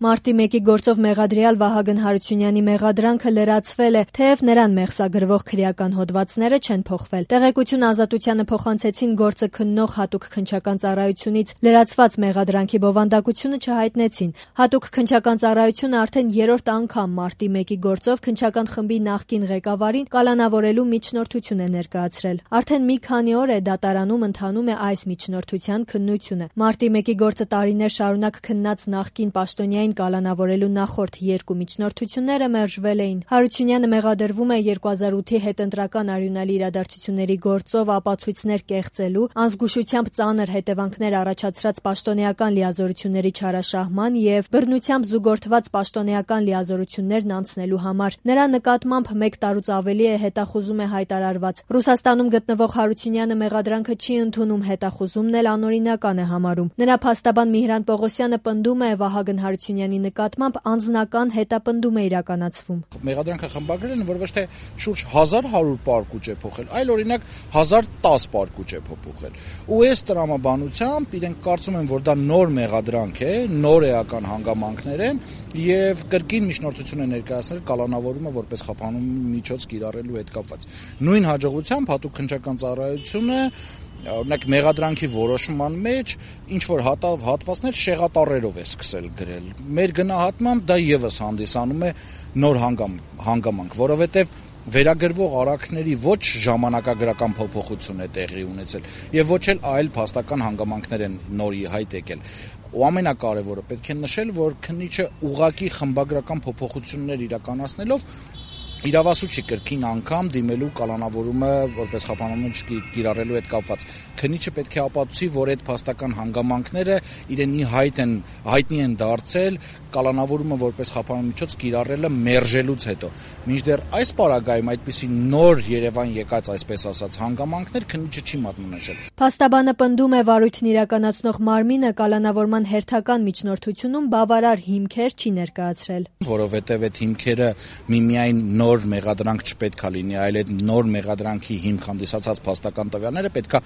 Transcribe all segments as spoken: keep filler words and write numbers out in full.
Մարտի մեկի գործով մեղադրյալ Վահագն Հարությունյանի մեղադրանքը լրացվել է, թեև նրան մեղսագրվող քրեական հոդվածները չեն փոխվել։ Տեղեկություն Ազատությանը փոխանցեցին գործը քննող հատուկ քննչական ծառայությունից լրացված մեղադրանքի բովանդակությունը չհայտնեցին։ Հատուկ քննչական ծառայությունը արդեն երրորդ անգամ Մարտի մեկի գործով քննչական խմբի նախկին ղեկավարին կալանավորելու միջնորդություն է ներկայացրել։ Արդեն մի քանի օր է դատարանում ընթանում է այս միջնորդության քննությունը։ Մարտի մեկի գործը տարիներ շարունակ քննած նախկին պաշտոնյային կալանավորելու նախորդ երկու միջնորդությունները մերժվել էին։ Հարությունյանը մեղադրվում է երկու հազար ութի հետընտրական արյունալի իրադարձությունների գործով ապացույցներ կեղծելու, անզգուշությամբ ծանր հետևանքներ առաջացրած պաշտոնեական լիազորությունների չարաշահման եւ բռնությամբ զուգորդված պաշտոնեական լիազորություններն անցնելու համար։ Նրա նկատմամբ մեկ տարուց ավելի է հետախուզում է հայտարարված։ Ռուսաստանում գտնվող Հարությունյանը մեղադրանքը չի ընդունում, հետախուզումն էլ անօրինական է համարում։ Նրա փաստաբան Միհրան Պողոսյանը պնդում է Վահագն Հարությունյանի նկատմամբ անձնական հետապնդում է իրականացվում։ Մեղադրանքը խմբագրել են, որ ոչ թե շուրջ հազար հարյուր պարկուճ է փոխել, այլ օրինակ հազար տասը պարկուճ է փոխել։ Ու այս տրամաբանությամբ իրենք կարծում են, որ դա նոր մեղադրանք է, նոր էական հանգամանքներ են եւ կրկին միջնորդություն է ներկայացնել կալանավորումը որպես խափանու միջոց կիրառելու հետ կապված։ Նույն հաջողությամբ հատուկ քննչական ծառայությունը օրինակ մեղադրանքի որոշման մեջ ինչ որ հատվածներ շեղատառերով է սկսել գրել։ Մեր գնահատմամբ դա եւս հանդիսանում է նոր հանգամանք, որովհետեւ վերագրվող արարքների ոչ ժամանակագրական փոփոխություն է տեղի ունեցել եւ ոչ էլ այլ փաստական հանգամանքներ են նորի հայտ եկել։ Ու ամենակարևորը պետք է նշել, որ քննիչը ուղղակի խմբագրական փոփոխություններ իրականացնելով իրավասու չի կրկին անգամ դիմելու կալանավորումը որպես խափանումից կիրառելու հետ կապված։ Քննիչը պետք է ապացուցի, որ այդ փաստական հանգամանքները իրենի հայտ են, հայտնի են դարձել կալանավորումը որպես խափանումից կիրառելը մերժելուց հետո։ Մինչդեռ այս պարագայում այդպիսի նոր Երևան եկած այսպես ասած հանգամանքներ քննիչը չի մատնանշել։ Փաստաբանը պնդում է վարույթն իրականացնող մարմինը կալանավորման հերթական միջնորդությունում բավարար հիմքեր չի ներկայացրել։ Որովհետև այդ հիմքերը միմիայն նոր մեղադրանք չպետք է լինի, այլ այդ նոր մեղադրանքի հիմք հանդիսացած փաստական տվյալները պետքա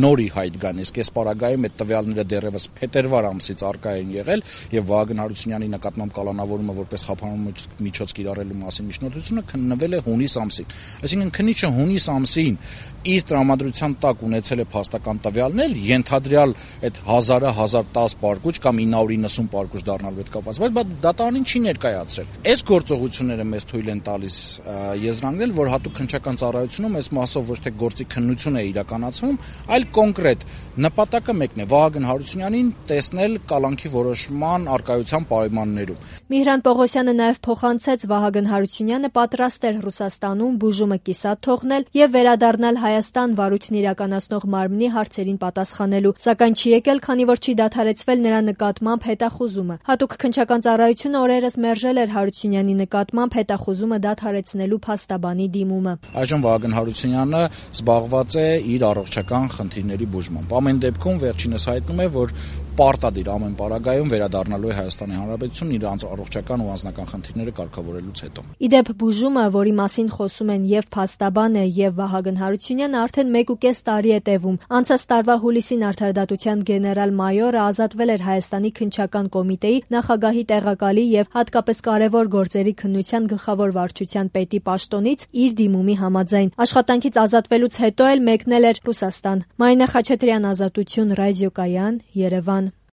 նորի հայտ գան։ Իսկ այս պարագայում այդ տվյալները դեռևս փետրվար ամսից առկա են եղել եւ Վահագն Հարությունյանի նկատմամբ կալանավորումը որպես խափանու միջոց կիրառելու մասին միջնորդությունը քննվել է հունիս ամսին։ Այսինքն քննիչը հունիս ամսին իր տրամադրության տակ ունեցել է փաստական տվյալներ, ենթադրյալ այդ հազարը հազար տասը պարկուճ կամ ինը հարյուր իննսուն պարկուճ դառնալու հետ կապված, բայց դատարանին չի ներկայացրել։ Այս գործողությունները մեզ թույլ են տալիս եզրանգնել, որ հատուկ քննչական ծառայությունում այս մասով ոչ թե գործի քննություն է իրականացվում, այլ կոնկրետ նպատակը մեկն է՝ Վահագն Հարությունյանին տեսնել կալանքի որոշման առկայության պայմաններում։ Միհրան Պողոսյանը նաև փոխանցեց Վահագն Հարությունյանը պատրաստ էր Ռուսաստանում բուժումը կիսատ թողնել եւ վերադառնալ Հայաստան վարույթն իրականացնող մարմնի հարցերին պատասխանելու, սակայն չի եկել, քանի որ չի դադարեցվել նրա նկատմամբ հետախուզումը։ Հատուկ քննչական ծառայությունը օրերս մերժել էր Հարությունյանի նկատմամբ հետախուզումը դադարեցնելու փաստաբանի դիմումը։ Այժմ Վահագն Հարությունյանը զբաղված է իր առողջական խնդիրների բուժմամբ։ Ամեն դեպքում վերջինս հայտնում է, որ պարտադիր ամեն պարագայում վերադառնալու է Հայաստանի Հանրապետություն իր առողջական ու անձնական խնդիրները կարգավորելուց հետո։ Իդեպ բուժումը, որի մասին խոսում են եւ փաստաբանը եւ Վահագն Հարությունյանը, արդեն մեկ ու կես տարի է տևում։ Անցած տարվա հուլիսին արդարադատության գեներալ-մայորը ազատվել էր Հայաստանի քննչական կոմիտեի նախագահի տեղակալի եւ հատկապես կարևոր գործերի քննության գլխավոր վարչության պետի պաշտոնից իր դիմումի համաձայն։ Աշխատանքից ազատվելուց հետո էլ մեկնել էր Ռուսաստան։ Մարինա Խաչատրյան, Ազատություն, ռադիոկայան, Երևան։